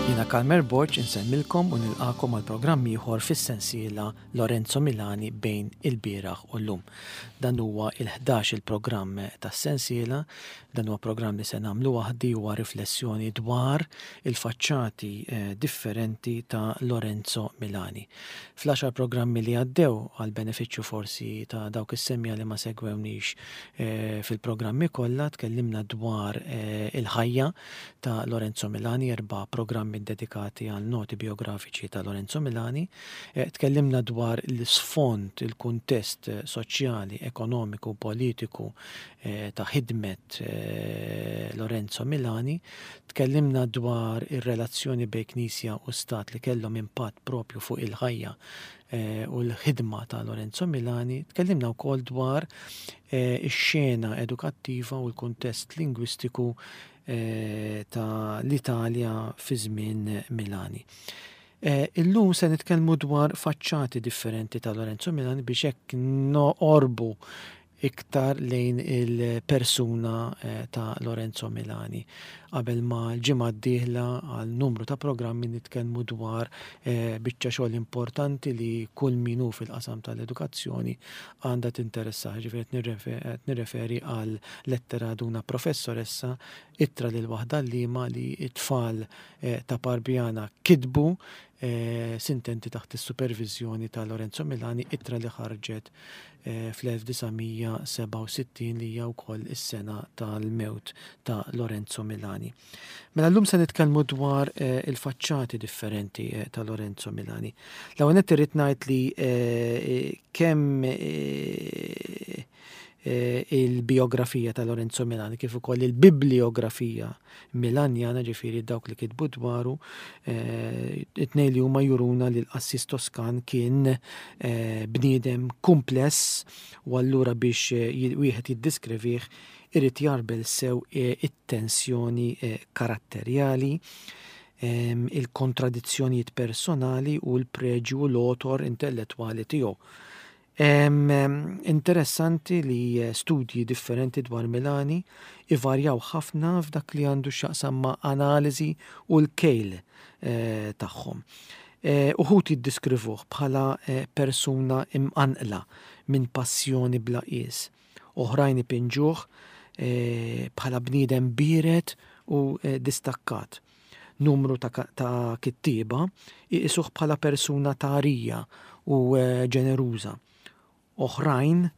Jiena Kalmer Borg insellmilkom u nilqakom għal programm ieħor fis-sensiela Lorenzo Milani bejn il-bieraħ u llum. Dan huwa il-11 il-programm tas-sensiela, dan huwa programm li se nagħmlu waħdi huwa riflessjoni dwar il-faċċati eh, differenti ta' Lorenzo Milani. Fl-għaxar programmi li għaddew, għall-benefiċċju forsi ta' dawk is-semmiegħa li ma segwewnix fil-programmi kollha, tkellimna dwar il-ħajja ta' Lorenzo Milani, erba' programmi ddedikati għal noti biografiċi ta' Lorenzo Milani. Tkellimna dwar l-isfond, il-kuntest soċjali, ekonomiku u politiku ta' ħidmet Lorenzo Milani. Tkellimna dwar ir-relazzjoni bejn Knisja u Stat li kellhom impatt propju fuq il-ħajja u l-ħidma ta' Lorenzo Milani. Tkellimna wkoll dwar ix-xena edukattiva u l-kuntest lingwistiku ta' l-Italja fi żmien Milani. Illum se nitkellmu dwar faċċati differenti ta' Lorenzo Milani biex hekk noqorbu iktar lejn il-persuna ta' Lorenzo Milani. Qabel ma l-ġimgħa d-dieħla għal numru ta' programmi nitkellmu dwar biċċa xogħol importanti li kull min hu fil-qasam tal-edukazzjoni għandha tinteressah. Ġifieri qed nirreferi għal lettera ad una professoressa, ittra lil waħda għalliema li t-tfal ta' Parbiana kitbu sintenti taħt is-superviżjoni ta' Lorenzo Milani, ittra li ħarġet fl-1967 li hija wkoll is-sena tal-mewt ta' Lorenzo Milani. Mela llum se nitkellmu dwar il-faċċati differenti ta' Lorenzo Milani. L-ewwel nett irrid ngħid li kemm il-bijografija ta' Lorenzo Milani kif ukoll il-bibliografija Milanjana, ġifieri dawk li kitbu dwaru, it-tnejn li huma juruna li l-qassis Toskan kien bniedem kumpless u allura biex wieħed jiddiskrivih irid jarbel sew it-tensjoni karatterjali, il-kontradizzjonijiet personali u l-preġju u l-għotor intellettwali tiegħu. Interessanti li studji differenti dwar Milani ivarjaw ħafna f'dak li għandu x'jaqsam ma' analiżi u l-kejl tagħhom. Uħud jiddiskrivuh bħala persuna imqanqla minn passjoni bla qies. Oħrajn ipinġuh bħala bniedem biered u distakkat. Numru ta' kittieba iqisuh bħala persuna tagħrija u ġeneruża. Oħrajn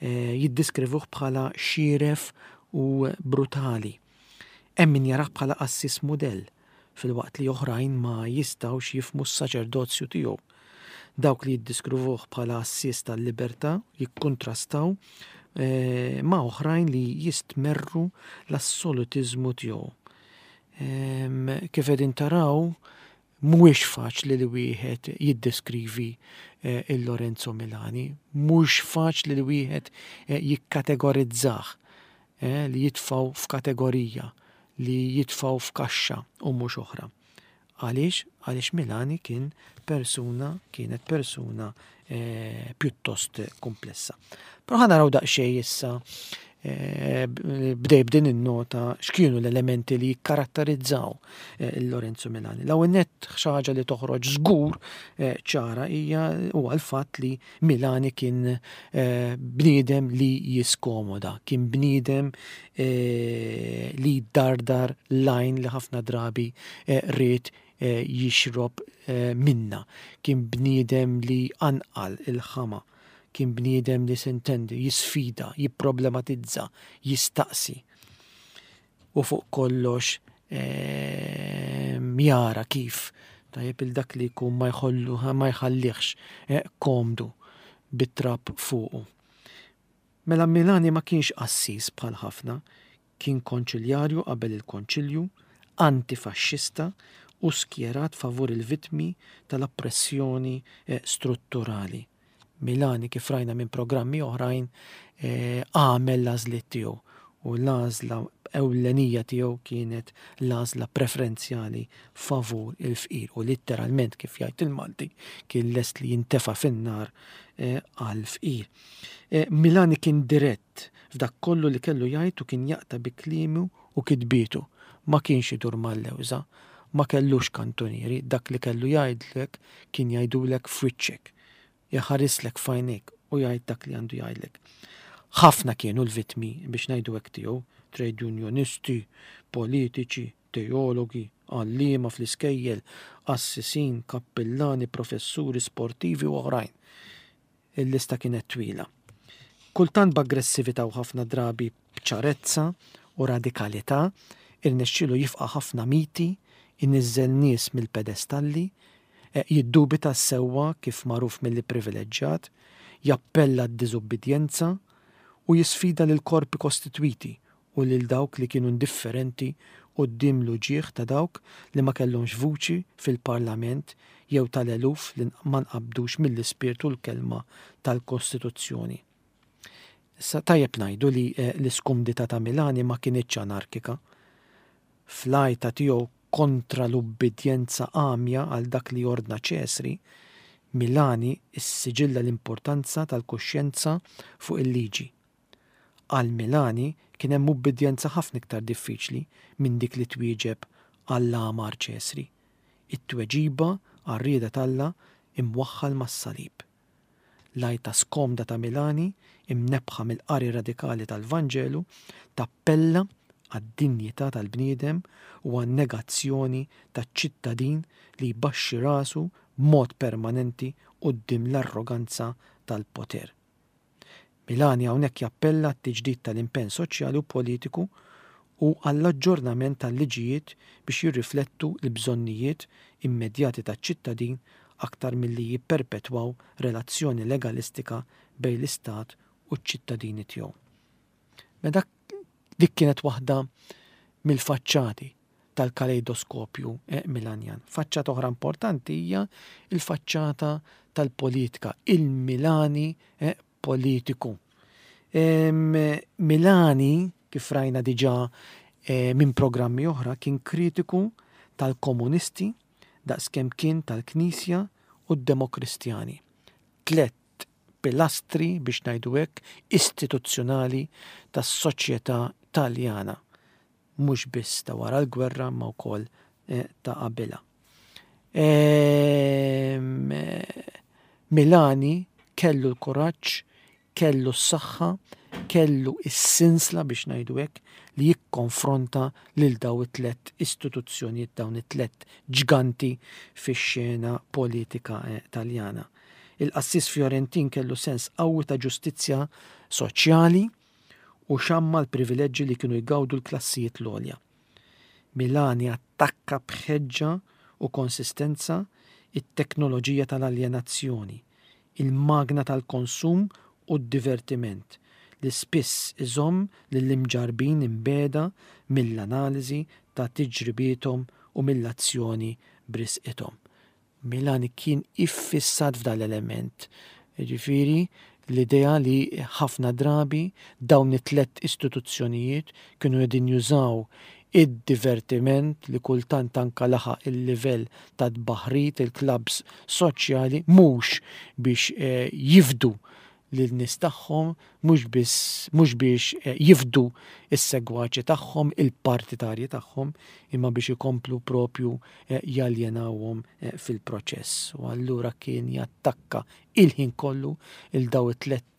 jiddiskrivuh bħala xieref u brutali. Hemm min jarah bħala qassis mudell, filwaqt li oħrajn ma jistgħux jifhmu s-saċerdozju tiegħu. Dawk li jiddiskrivuh bħala għassies tal-libertà jikkuntrastaw ma' oħrajn li jistmerru l-assolutiżmu tiegħu. Kif qegħdin taraw, mhuwiex faċli li wieħed jiddeskrivi eh, il-Lorenzo Milani, mhux faċli li wieħed eh, jikkategorizzah, eh, li jitfgħu f'kategorija, li jitfgħu f'kaxxa u mhux oħra. Għaliex? Għaliex Milani kien persuna, kienet persuna eh, pjuttost komplessa. Però ħa naraw daqsxejn issa eh, bdej b'din in-nota x'kienu l-elementi li jikkaratterizzaw eh, Lorenzo Milani. L-ewwel nett xi ħaġa li toħroġ żgur eh, ċara hija huwa l-fatt li Milani kien bniedem li jiskomoda, kien bniedem li dardar lajn li ħafna drabi ried jixrob minna. Kien bniedem li anqal il-ħama, kien bniedem li sintendi, jisfida, jipproblematizza, jistaqsi. U fuq kollox jara kif tajjeb il dak li jkun ma jħollu ma jħallihx komdu bit-trab fuqu. Mela Milani ma kienx qassis bħal ħafna, Kien konċiljarju qabel il-Konċilju, anti-faxxista u skjerat favur il-vittmi tal-oppressjoni strutturali. Milani, kif rajna minn programmi oħrajn, għamel l-għażliet tiegħu u l-għażla ewlenija tiegħu kienet l-għażla preferenzjali favur il-fqir u litteralment kif jgħid il-Malti kien lest li jintefa' fin-nar għall-fqir. Milani kien dirett F'dak kollu li kellu jgħid u kien jaqta' bi kliemu u kitbietu. Ma kienx idur mal-lewża. Ma kellux kantunieri, dak li kellu jgħidlek kien jgħidulek f'wiċċek. Iħarislek f'għajnejk u jgħid dak li għandu jgħidlek. Ħafna kienu l-vittmi biex ngħidu hekk tiegħu, trade unionisti, politiċi, teologi, għalliema fl-iskejjel, qassisin, kappillani, professuri, sportivi u oħrajn. Il-lista kienet twila. Kultant b'aggressività u ħafna drabi b'ċarezza u radikalità, irnexxielu jifqa' ħafna miti, iniżżel nies mill-pedestalli, jiddubita s-sewwa kif magħruf mill-ipprivileġġjat, jappella għad-diżubbidjenza u jisfida lill-korpi kostitwiti u lil dawk li kienu indifferenti quddiem l-uġigħ ta' dawk li ma kellhomx vuċi fil-Parlament jew tal-eluf li ma nqabdux mill-ispirtu u l-kelma tal-Kostituzzjoni. Issa tajjeb ngħidu li l-iskumdità ta' Milani ma kinitx anarkika. Fl-għajta tiegħu kontra l-ubbidjenza għamja għal dak li ordna Ċesri, Milani issiġilla l-importanza tal-kuxjenza fuq il-liġi. Għal Milani kien hemm ubbidjenza ħafna iktar diffiċli minn dik li twieġeb għall-għamar Ċesri, it-tweġiba għar-rieda t'Alla imwaħħal mas-salib. L-għajta skomda ta' Milani, imnebbħa mill-qari radikali tal-Vanġelu, tappella għad-dinjità tal-bniedem u għan-negazzjoni taċ-ċittadin li jbaxxi rasu b'mod permanenti quddiem l-arroganza tal-poter. Milani hawnhekk jappella għat-tiġdid tal-impenn soċjali u politiku u għall-aġġornament tal-liġijiet biex jirriflettu l-bżonnijiet immedjati taċ-ċittadin aktar milli jipperpetwaw relazzjoni legalistika bejn l-Istat u ċ-ċittadini tiegħu. Mela dik kienet waħda mill-faċċati tal-kaleidoskopju Milanjan. Faċċata oħra importanti hija l-faċċata tal-politika, il-Milani politiku. Milani, kif rajna diġà minn programmi oħra, kien kritiku tal-komunisti daqskemm kien tal-Knisja u d-Demokristjani. Tlett pilastri, biex ngħidu hekk, istituzzjonali tas-soċjetà Taljana, mhux biss ta' wara l-gwerra imma wkoll ta' qabilha. Milani kellu l-kuraġġ, kellu s-saħħa, kellu s-sinsla biex ngħidu hekk li jikkonfronta lil daw it-tlett istituzzjonijiet, dawn it-tlett ġganti fix-xena politika Taljana. Il-qassis Fjorentin kellu sens qawwi ta' ġustizzja soċjali u xamma l-privileġġi li kienu jgawdu l-klassijiet l-għolja. Milani attakka b'ħeġġa u konsistenza t-teknoloġija tal-aljenazzjoni, il-magna tal-konsum u d-divertiment li spiss iżomm lill-imġarrbin imbiegħda mill-analiżi ta' tiġribiethom u mill-azzjoni b'risqithom. Milani kien iffissat f'dan l-element, jiġifieri l-idea li ħafna drabi dawn it-tlett istituzzjonijiet kienu qegħdin jużaw id-divertiment li kultant anke laħaq il-livell ta' tbaħrid il-klabbs soċjali mhux biex jifdu lin-nies tagħhom, mhux biss mhux biex jifdu s-segwaċi tagħhom, il-partitarji tagħhom, imma biex ikomplu propju jaljenawhom fil-proċess. U allura kien jattakka il-ħin kollu il daw it-tlett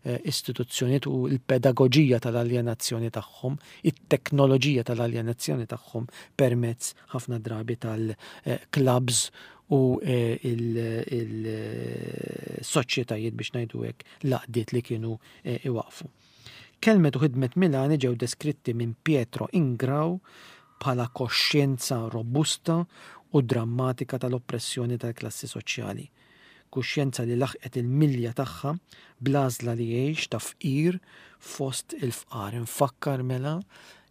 istituzzjonijiet u l-pedagoġija tal-aljenazzjoni tagħhom, it-teknoloġija tal-aljenazzjoni tagħhom permezz ħafna drabi tal-clubs u il-soċjetajiet biex ngħidu hekk l-għaqdiet li kienu iwaqqfu. Kelmet u ħidmet Milani ġew deskritti minn Pietro Ingrao bħala koxjenza robusta u drammatika tal-oppressjoni tal-klassi soċjali. Kuxjenza li laħqet il-milja tagħha bl-għażla li jgħix ta' fqir fost il-fqar. Infakkar mela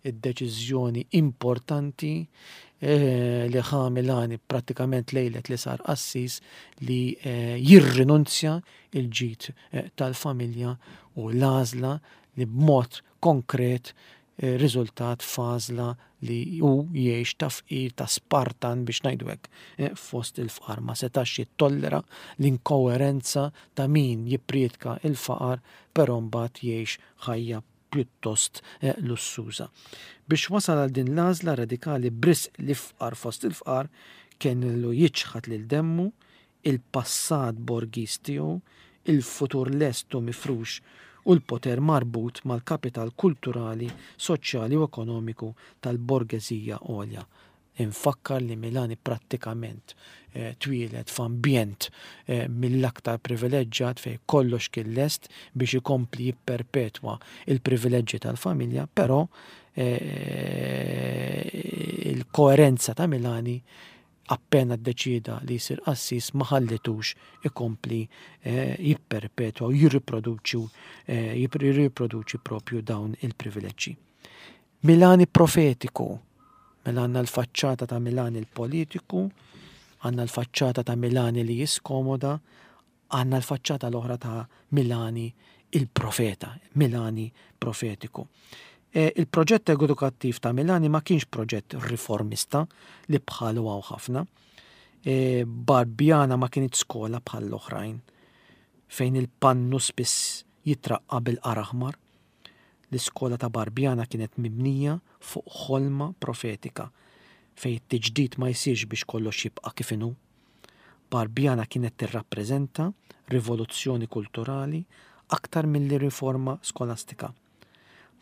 id-deċiżjoni importanti li ħa Milani prattikament lejlet li sar qassis li jirrinunzja l-ġid tal-familja u l-għażla li b'mod konkret riżultat f'għażla li hu jgħix ta' fqir, ta' Spartan biex ngħidu hekk, fost il-fqar. Ma setax jittollera l-inkoerenza ta' min jipprietka l-faqar però mbagħad jgħix ħajja pjuttost lussuża. Biex wasal għal din l-għażla radikali b'risq l-ifqar fost il-fqar, kellu jiċħad lil demmu, il-passat borgiż tiegħu, il-futur lest u mifrux u l-poter marbut mal-kapital kulturali, soċjali u ekonomiku tal-borgeżija għolja. Infakkar li Milani prattikament twieled f'ambjent mill-aktar privileġġjat fejn kollox kien lest biex ikompli jipperpetwa l-privileġġi tal-familja, però il-koerenza ta' Milani appena ddeċieda li jsir qassis ma ħallitux ikompli jipperpetwa u jirriproduċi jirriproduċi propju dawn il-privileġġi. Milani profetiku. Mela għandna l-faċċata ta' Milani l-politiku, għandna l-faċċata ta' Milani li jiskomoda, għandna l-faċċata l-oħra ta' Milani il-profeta, Milani profetiku. E, il-proġett edukattiv ta' Milani ma kienx proġett riformista li bħalu għaw ħafna. E, Barbjana ma kienet skola bħal l-oħrajn fejn il-pannu spiss jitraqqa bil-qar aħmar. L-iskola ta' Barbiana kienet mibnija fuq ħolma profetika, fejn it-tiġdid ma jsirx biex kollox jibqa' kif inhu. Barbiana kienet tirrappreżenta rivoluzzjoni kulturali aktar milli riforma skolastika.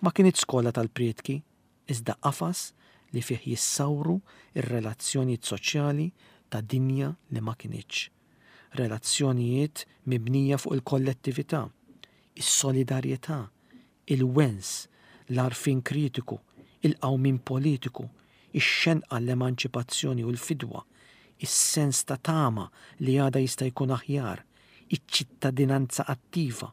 Ma kinitx skola tal-prietki, iżda qafas li fih jissawru r-relazzjonijiet soċjali ta' dinja li ma kinitx. Relazzjonijiet mibnija fuq il-kollettività, is-solidarjetà, il-wens, l-għarfien kritiku, il-qawmien politiku, ix-xenqa għall-emanċipazzjoni u l-fidwa, is-sens ta' tama li għada jista' jkun aħjar, iċ-ċittadinanza attiva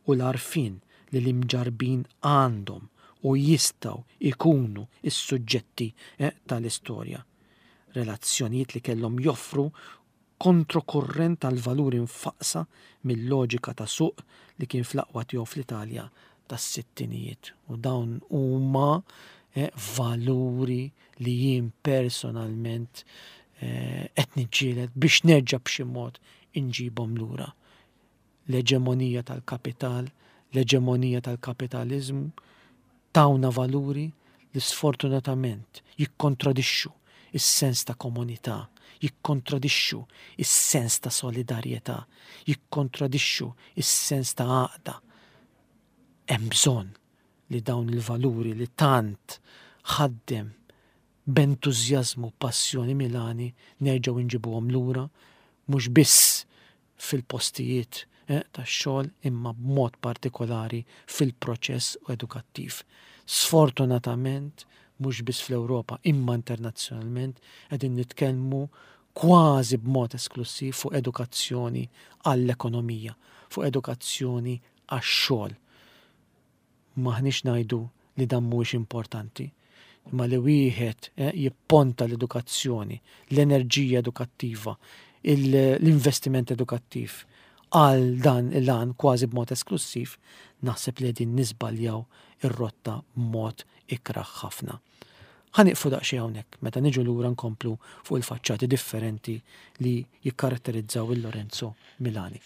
u l-għarfien li l-imġarrbin għandhom u jistgħu jkunu s-suġġetti tal-istorja. Relazzjonijiet li kellhom joffru kontrokurrent għall-valuri mfaqqsa mil-loġika ta' suq li kien fl-aqwa tiegħu fl-Italja tas-sittinijiet. U dawn huma valuri li jien personalment qed niġġieled biex nerġa' b'xi mod inġibhom lura. L-eġemonija tal-kapital, l-eġemonija tal-kapitaliżmu tawna valuri li sfortunatament jikkontradixxu s-sens ta' komunità, jikkontradixxu s-sens ta' solidarjetà, jikkontradixxu s-sens ta' għaqda. Hemm bżonn li dawn il-valuri li tant ħaddem b'entużjażmu u passjoni Milani nerġgħu nġibuhom lura mhux biss fil-postijiet tax-xogħol imma b'mod partikolari fil-proċess edukattiv. Sfortunatament, mhux biss fl-Ewropa imma internazzjonalment qegħdin nitkellmu kważi b'mod esklussiv fuq edukazzjoni għall-ekonomija, fuq edukazzjoni għax-xogħol. M'aħniex ngħidu li dan mhuwiex importanti, imma li wieħed eh, jipponta l-edukazzjoni, l-enerġija edukattiva, l-investiment edukattiv għal dan il-għan kważi b'mod esklussiv, naħseb li qegħdin niżbaljaw ir-rotta b'mod ikrah ħafna. Ħa nieqfu daqsxejn hawnhekk meta niġu lura nkomplu fuq il-faċċati differenti li jikkaratterizzaw il-Lorenzo Milani.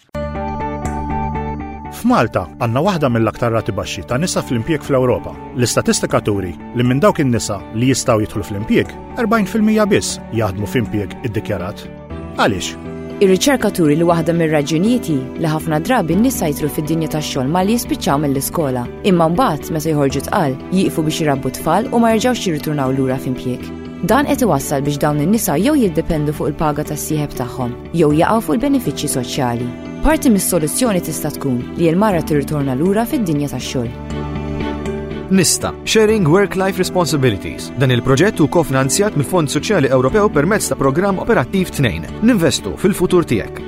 F'Malta għandna waħda mill-aktar rati baxxi ta' nisa fl-impjieg fl-Ewropa. L-istatistika turi li minn dawk in-nisa li jistgħu jidħlu fl-impjieg, 40% biss jaħdmu f'impjieg iddikjarat. Għaliex? Ir-riċerka turi li waħda mir-raġunijiet hi li ħafna drabi n-nisa jidħlu fid-dinja tax-xogħol malli jispiċċaw mill-iskola, imma mbagħad meta joħorġu tqal, jieqfu biex irabbu tfal u ma jerġgħux jirriturnaw lura f'impjieg. Dan qed iwassal biex dawn in-nisa jew jiddependu fuq il-paga tas-sieħeb tagħhom, jew jaqgħu fuq il-benefiċċji soċjali. Parti mis-soluzzjoni tista' tkun li l-mara tirritorna lura fid-dinja tax-xogħol. Nista, Sharing Work-Life Responsibilities. Dan il-proġett hu kofinanzjat mill-Fond Soċjali Ewropew permezz ta' Programm Operattiv 2. Ninvestu fil-futur tiegħek.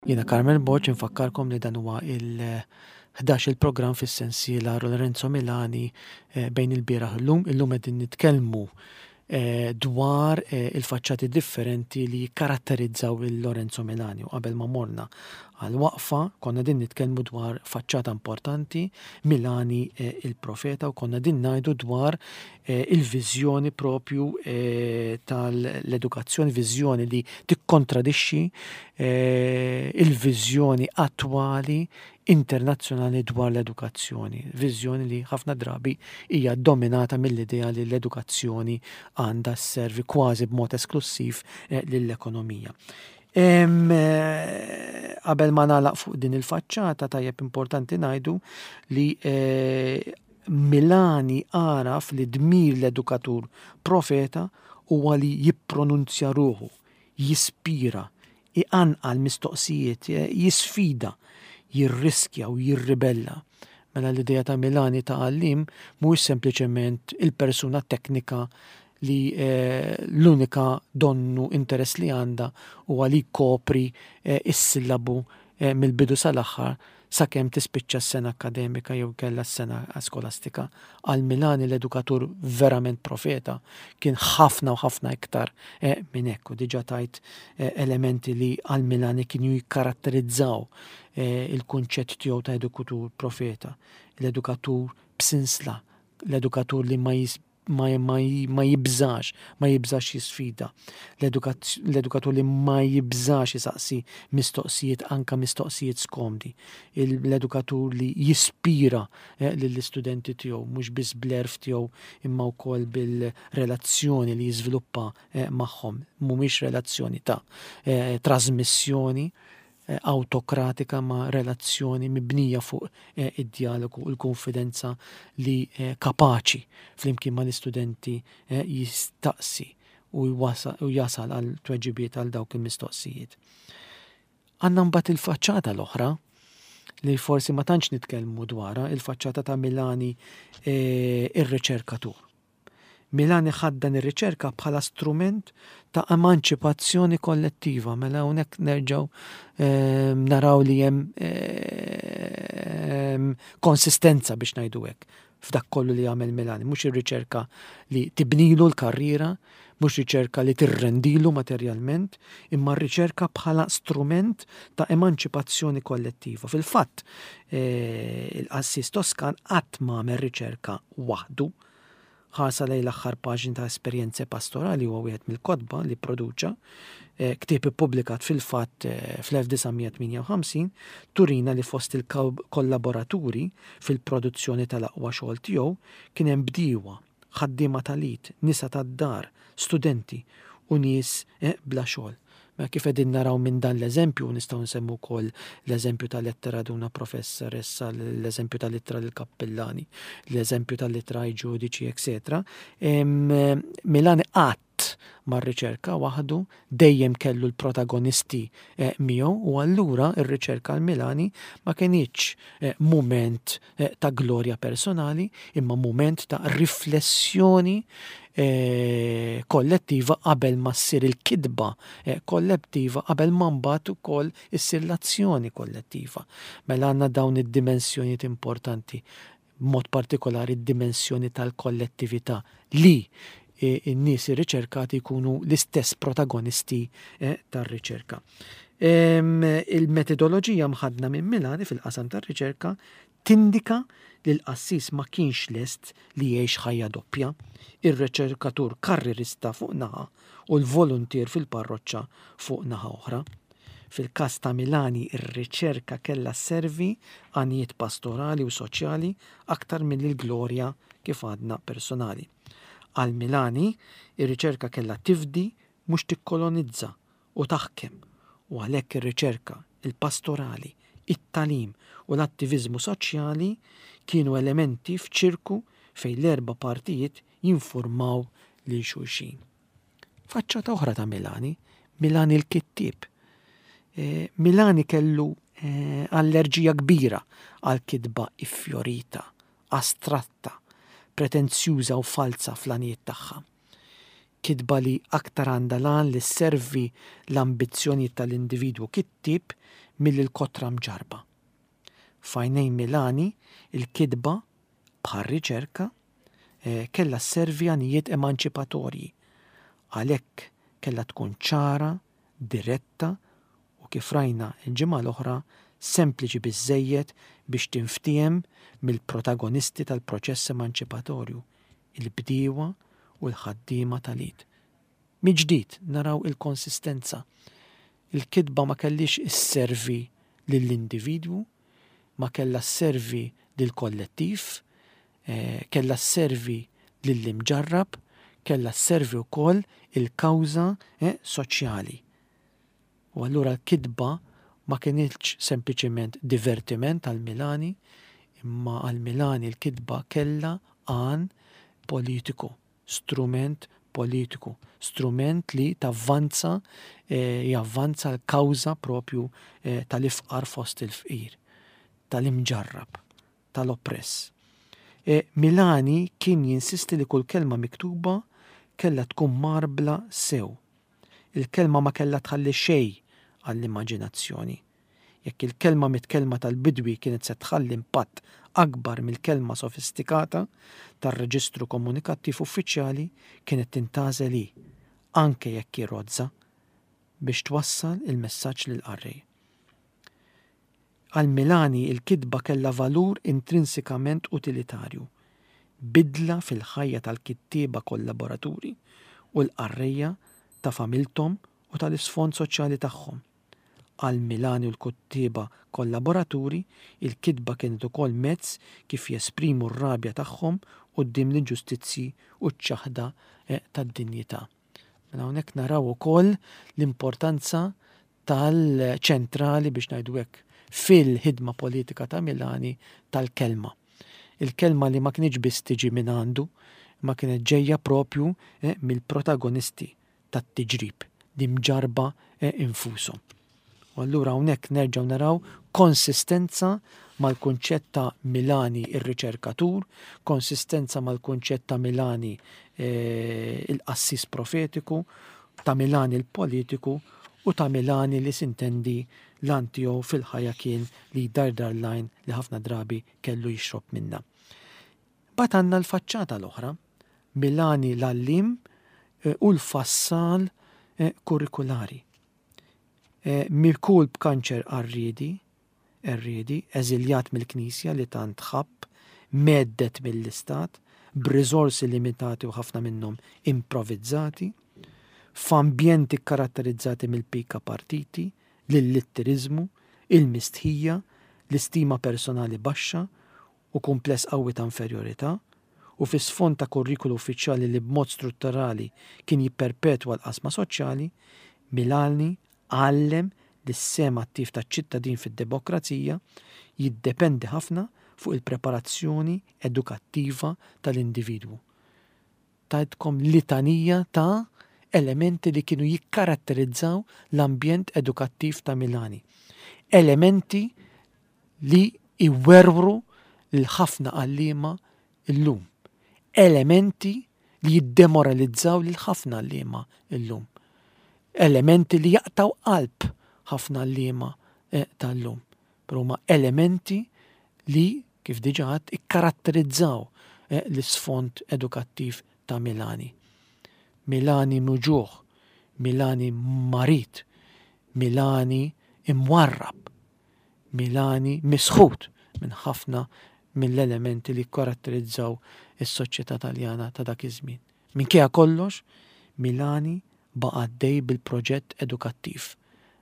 Jiena Carmel Borg infakkarkom li dan huwa il-11 il-programm fis-sensiela Lorenzo Milani eh, bejn il-bieraħ illum. Illum qegħdin nitkellmu eh, dwar eh, il-faċċati differenti li jikkaratterizzaw il-Lorenzo Milani u qabel ma morna. Għal waqfa konna din nitkellmu dwar faċċata importanti, Milani eh, il-profeta u konna din ngħidu dwar eh, il-viżjoni propju eh, tal-edukazzjoni, viżjoni li tikkontradixxi il-viżjoni attwali internazzjonali dwar l-edukazzjoni, viżjoni li ħafna drabi hija dominata mill-idea li l-edukazzjoni għandha sservi kważi b'mod esklussiv lill-ekonomija. Eh, qabel ma nagħlaq fuq din il-faċċata tajjeb importanti ngħidu li eh, Milani għaraf li dmir l-edukatur profeta huwa li jippronunzja ruħu, jispira, iqanqal mistoqsijiet, eh, jisfida, jirriskja u jirribella. Mela l-idea ta' Milani ta' għallim mhuwiex sempliċement il-persuna teknika li l-unika donnu interess li għandha huwa li jkopri s-sillabu mill-bidu sal-aħħar sakemm tispiċċa s-sena akkademika jew inkella s-sena skolastika. Għal Milani l-edukatur verament profeta kien ħafna u ħafna iktar minn hekk u diġà tajt elementi li għal Milani kienu jikkaratterizzaw il-kunċett tiegħu ta' edukatur profeta, l-edukatur b'sinsla, l-edukatur li ma ma, ma, ma jibżax, ma jibżax jisfida. L-edukatur li ma jibżax jisaqsi mistoqsijiet, anka mistoqsijiet skomdi. L-edukatur li jispira eh, lill-istudenti tiegħu, mhux biss bl-erf tiegħu imma wkoll bil-relazzjoni li jiżviluppa eh, magħhom. Mhumiex relazzjoni ta' eh, trasmissjoni, awtokratika ma' relazzjoni mibnija fuq id-djalogu u l-kunfidenza li kapaċi flimkien mal-istudenti jistaqsi u jasal għal tweġibiet għal dawk il-mistoqsijiet. Għandna mbagħad il-faċċata l-oħra li forsi ma tantx nitkellmu dwarha, il-faċċata ta' Milani ir-riċerkatur. Milani ħaddan ir-riċerka bħala strument ta' emanċipazzjoni kollettiva. Mela hawnhekk nerġgħu ehm, naraw li hemm ehm, konsistenza biex ngħidu hekk f'dak kollu li għamel Milani, mhux ir-riċerka li tibnilu l-karriera, mhux riċerka li tirrendilu materjalment, imma r-riċerka bħala strument ta' emanċipazzjoni kollettiva. Fil-fatt, eh, il-qassis Toskan qatt ma għamel riċerka waħdu, Ħarsa lejn l-aħħar paġni ta' Esperjenze Pastorali huwa wieħed mill-kotba li pproduċa, ktieb ippubblikat fil-fatt fl-1958, turina li fost il-kollaboraturi fil-produzzjoni tal-aqwa xogħol tiegħu kien hemm bdiewa, ħaddiema tal-id, nisa tad-dar, studenti u nies bla xogħol. Mela kif qegħdin naraw minn dan l-eżempju, u nistgħu nsemmu wkoll l-eżempju tal-Lettera ad una professoressa, l-eżempju tal-Ittra lill-Kappillani, l-eżempju tal-Ittra ai Giudici, etc. Milani qatt ma rriċerka waħdu, dejjem kellu l-protagonisti eh, miegħu u allura r-riċerka għal Milani ma kinitx eh, mument eh, ta' glorja personali, imma mument ta' riflessjoni eh, kollettiva qabel ma ssir il-kitba eh, kollettiva qabel ma mbagħad ukoll issir l-azzjoni kollettiva. Mela għandna dawn id-dimensjonijiet importanti, b'mod partikolari d-dimensjoni tal-kollettività li n-nies irriċerkati jkunu l-istess protagonisti tar-riċerka. Il-metodoloġija mħaddna minn Milani fil-qasam tar-riċerka tindika li l-qassis ma kienx lest li jgħix ħajja doppja, ir-riċerkatur karrierista fuq naħa u l-voluntier fil-parroċċa fuq naħa oħra. Fil-każ ta' Milani r-riċerka kellha sservi għanijiet pastorali u soċjali aktar milli l-glorja, kif għadna, personali. Għal Milani, ir-riċerka kellha tifdi mhux tikkolonizza u taħkem u għalhekk ir-riċerka, il-pastorali, it-tagħlim u l-attiviżmu soċjali kienu elementi f'ċirku fejn l-erba' partijiet jinfurmaw lil xulxin. Faċċata oħra ta' Milani, Milani l-kittieb. Eh, Milani kellu eh, allerġija kbira għal kitba iffjorita, astratta, pretenzjuża u falza fl-għanijiet tagħha. Kitba li aktar għandha l-għan li sservi l-ambizzjonijiet tal-individwu kittieb milli l-kotra mġarrba. F'għajnejn Milani, il-kitba, bħar-riċerka, kellha sservi għanijiet emanċipatorji. Għalhekk kellha tkun ċara, diretta u kif rajna l-ġimgħa l-oħra, sempliċi biżżejjed biex tinftiehem mill-protagonisti tal-proċess emanċipatorju, il-bdiewa u l-ħaddiema tal-id. Mill-ġdid naraw il-konsistenza. Il-kitba ma kellhiex isservi lill-individwu, ma kellha sservi lill-kollettiv, kellha sservi lill-imġarrab, kellha sservi wkoll il-kawża soċjali. U allura l-kitba ma kinitx sempliċiment divertiment għal Milani, imma għal Milani l-kitba kellha għan politiku, strument politiku, strument li tavvanza, javvanza l-kawża propju tal-ifqar fost il-fqir, tal-imġarrab, tal-oppress. Milani kien jinsisti li kull kelma miktuba kellha tkun mgħarbla sew. Il-kelma ma kellha tħalli xejn għall-immaġinazzjoni. Jekk il-kelma mitkellma tal-bidwi kienet se tħalli impatt akbar mill-kelma sofistikata tar-reġistru komunikattiv uffiċjali, kienet tintgħażel hi, anke jekk hi rozza, biex twassal il-messaġġ lill-qarrej. Għal Milani l-kitba kellha valur intrinsikament utilitarju, bidla fil-ħajja tal-kittieba kollaboraturi u l-qarrejja ta' familthom u tal-isfond soċjali tagħhom. Għal Milani u l-kuttieba kollaboraturi, il-kitba kienet ukoll mezz kif jesprimu r-rabja tagħhom quddiem l-inġustizzji u ċ-ċaħda tad-dinjità. Mela hawnhekk naraw ukoll l-importanza tal-ċentrali biex ngħidu hekk fil-ħidma politika ta' Milani tal-kelma. Il-kelma li ma kinitx biss tiġi minn għandu, ma kienet ġejja propju eh, mill-protagonisti tat-tiġrib, li mġarba eh, infushom. U allura hawnhekk nerġgħu naraw konsistenza mal-kunċett ta' Milani ir-riċerkatur, konsistenza mal-kunċett ta' Milani eh, il-qassis profetiku, ta' Milani l-politiku u ta' Milani li sintendi l-għan tiegħu fil-ħajja kien li jdardar l-għajn li ħafna drabi kellu jixrob minnha. Mbagħad għandna l-faċċata l-oħra, Milani l-għalliem eh, u l-fassal eh, kurrikulari. Eh, Mikul b'kanċer qarriedi, Erriedi, eżiljat mill-Knisja li tant ħabb, mhedded mill-Istat, b'riżorsi limitati u ħafna minnhom improvizzati, f'ambjenti kkaratterizzati mill-pika partiti, l-illitteriżmu, il-mistħija, l-istima personali baxxa u kumpless qawwi ta' inferjorità, u fi sfond ta' kurrikulu uffiċjali li b'mod strutturali kien jipperpetwa l-qasma soċjali, Milani għallem li s-sehem attiv taċ-ċittadin fid-demokrazija jiddependi ħafna fuq il-preparazzjoni edukattiva tal-individwu. Tajtkom litanija ta' elementi li kienu jikkaratterizzaw l-ambjent edukattiv ta' Milani. Elementi li jwerwru lil ħafna għalliema llum. Elementi li jiddemoralizzaw lil ħafna għalliema llum. Elementi li jaqtgħu qalb ħafna għalliema eh, tal-lum. Però huma elementi li, kif diġà għedt, ikkaratterizzaw eh, l-isfond edukattiv ta' Milani. Milani muġugħ, Milani marid, Milani imwarrab, Milani misħut minn ħafna mill-elementi li kkaratterizzaw is-soċjetà Taljana ta' dak iż-żmien. Minkejja kollox, Milani baqa' għaddej bil-proġett edukattiv,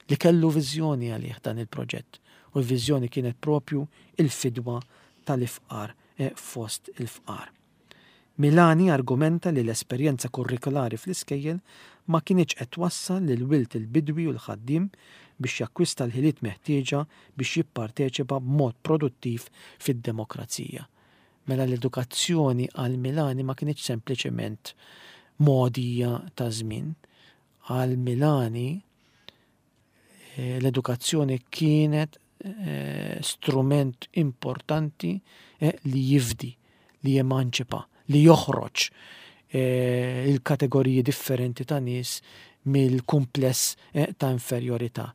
li kellu viżjoni għalih dan il-proġett, u l-viżjoni kienet proprju l-fidwa tal-ifqar fost il-fqar. Milani argumenta li l-esperjenza kurrikulari fl-iskejjel ma kinitx qed twassal lil wild il-bidwi u l-ħaddiem biex jakkwista l-ħiliet meħtieġa biex jipparteċipa b'mod produttiv fid-demokrazija. Mela l-edukazzjoni għal Milani ma kinitx sempliċement mogħdija ta' żmien. Għal Milani eh, l-edukazzjoni kienet eh, strument importanti eh, li jifdi, li jemanċipa, li joħroġ il-kategoriji differenti ta' nies mill-kumpless ta' inferjorità.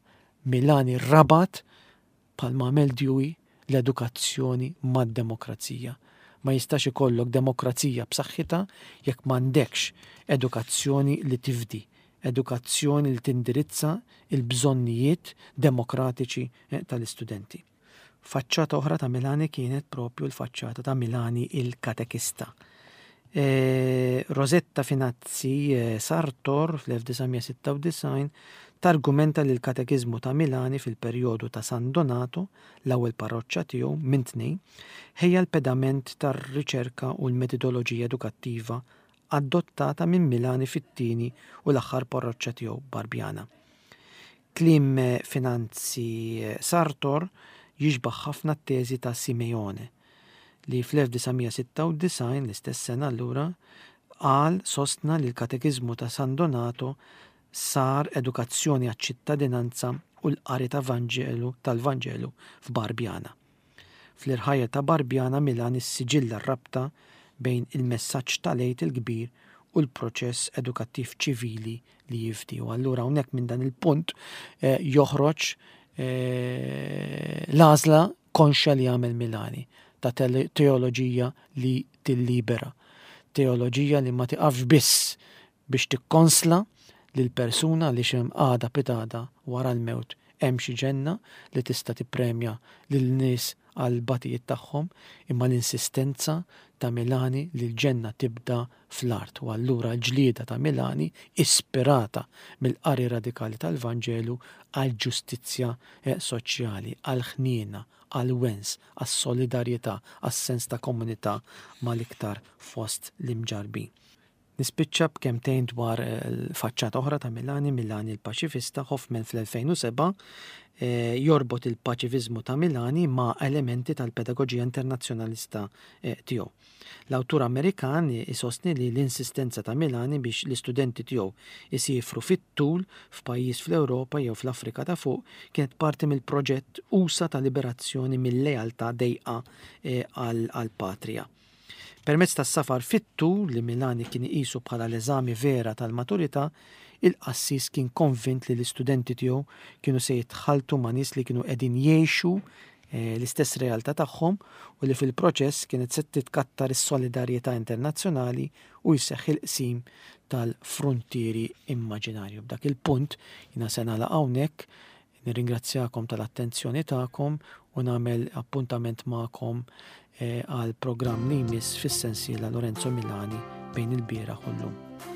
Milani rabat Bħalma għamel Dewey, l-edukazzjoni mad-demokrazija. Ma jistax ikollok demokrazija b'saħħitha jekk m'għandekx edukazzjoni li tifdi, Edukazzjoni li tindirizza l-bżonnijiet demokratiċi eh, tal-istudenti. Faċċata oħra ta' Milani kienet propju l-faċċata ta' Milani il-katekista. E, Rosetta Finazzi e, Sartor fl-1996 targumenta li l-katekiżmu ta' Milani fil-perjodu ta' San Donato, l-ewwel parroċċa tiegħu minn tnejn, ħejja l-pedament tar-riċerka u l-metodoloġija edukattiva adottata minn Milani fit-tieni u l-aħħar parroċċa tiegħu Barbiana. Kliem Finanzi Sartor jixbah ħafna t-teżi ta' Simeone, li fl-1996, l-istess sena allura, qal sostna li l-Katekiżmu ta' San Donato sar edukazzjoni għaċ-ċittadinanza u l-qari ta' Vanġelu tal-Vanġelu f'Barbiana. Fl-irħajja ta' Barbiana Milan issiġilla r-rabta bejn il-messaġġ tal-Għid il-Kbir u l-proċess edukattiv ċivili li jifdi. U allura hawnhekk minn dan il-punt eh, joħroġ eh, l-għażla konxja li għamel Milani ta' teoloġija li tillibera. Teoloġija li ma tiqafx biss biex tikkonsla lill-persuna għaliex hemm għada pitgħada wara l-mewt hemm xi ġenna li tista' tippremja lil nies għall-batijiet tagħhom, imma l-insistenza ta' Milani li l-ġenna tibda fl-art u allura l-ġlieda ta' Milani ispirata mill-qari radikali tal-Vanġelu għall-ġustizzja soċjali, għall-ħniena, għall-wens, għas-solidarjetà, għas-sens ta' komunità mal-iktar fost l-imġarrbin. Nispiċċa b'kemmtejn dwar faċċata oħra ta' Milani, Milani l-Paċifista, Hoffman fl-2007 jorbot il-paċifiżmu ta' Milani ma' elementi tal-pedagoġija internazzjonalista tiegħu. L-awtur Amerikan isostni li l-insistenza ta' Milani biex l-istudenti tiegħu jsiefru fit-tul f'pajjiż fl-Ewropa jew fl-Afrika ta' Fuq kienet parti mill-proġett usa' ta' liberazzjoni mil-lealtà dejqa għall-patrija. Permezz tas-safar fit-tul li Milani kien iqisu bħala l-eżami vera tal-maturità, il-qassis kien konvint li l-istudenti tiegħu kienu se jitħalltu ma' nies li kienu qegħdin jgħixu l-istess realtà tagħhom u li fil-proċess kienet se titkattar is-solidarjetà internazzjonali u jseħħ il-qsim tal-fruntieri immaġinarju. B'dak il-punt jiena se nagħlaq hawnhekk. Nirringrazzjakom tal-attenzjoni tagħkom u nagħmel appuntament magħkom eh, għal programm li jmiss fis-sensiela Lorenzo Milani bejn il-bieraħ u llum.